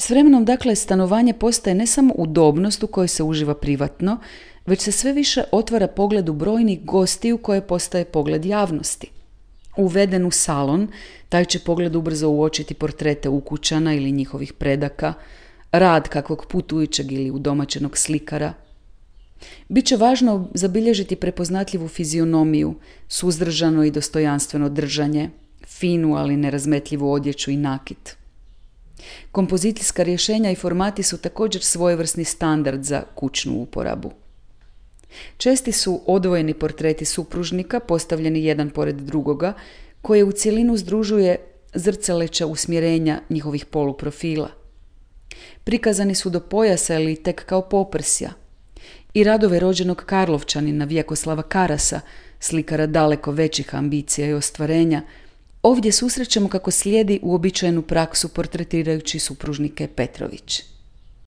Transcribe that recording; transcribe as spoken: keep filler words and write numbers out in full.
S vremenom, dakle, stanovanje postaje ne samo udobnost u kojoj se uživa privatno, već se sve više otvara pogledu brojnih gostiju koje postaje pogled javnosti. Uveden u salon, taj će pogled ubrzo uočiti portrete ukućana ili njihovih predaka, rad kakvog putujućeg ili udomaćenog slikara. Biće važno zabilježiti prepoznatljivu fizionomiju, suzdržano i dostojanstveno držanje, finu ali nerazmetljivu odjeću i nakit. Kompozicijska rješenja i formati su također svojevrsni standard za kućnu uporabu. Česti su odvojeni portreti supružnika postavljeni jedan pored drugoga, koje u cjelinu združuje zrcaleća usmjerenja njihovih poluprofila. Prikazani su do pojasa ili tek kao poprsja. I radove rođenog Karlovčanina Vjekoslava Karasa, slikara daleko većih ambicija i ostvarenja, ovdje susrećemo kako slijedi uobičajenu praksu portretirajući supružnike Petrović.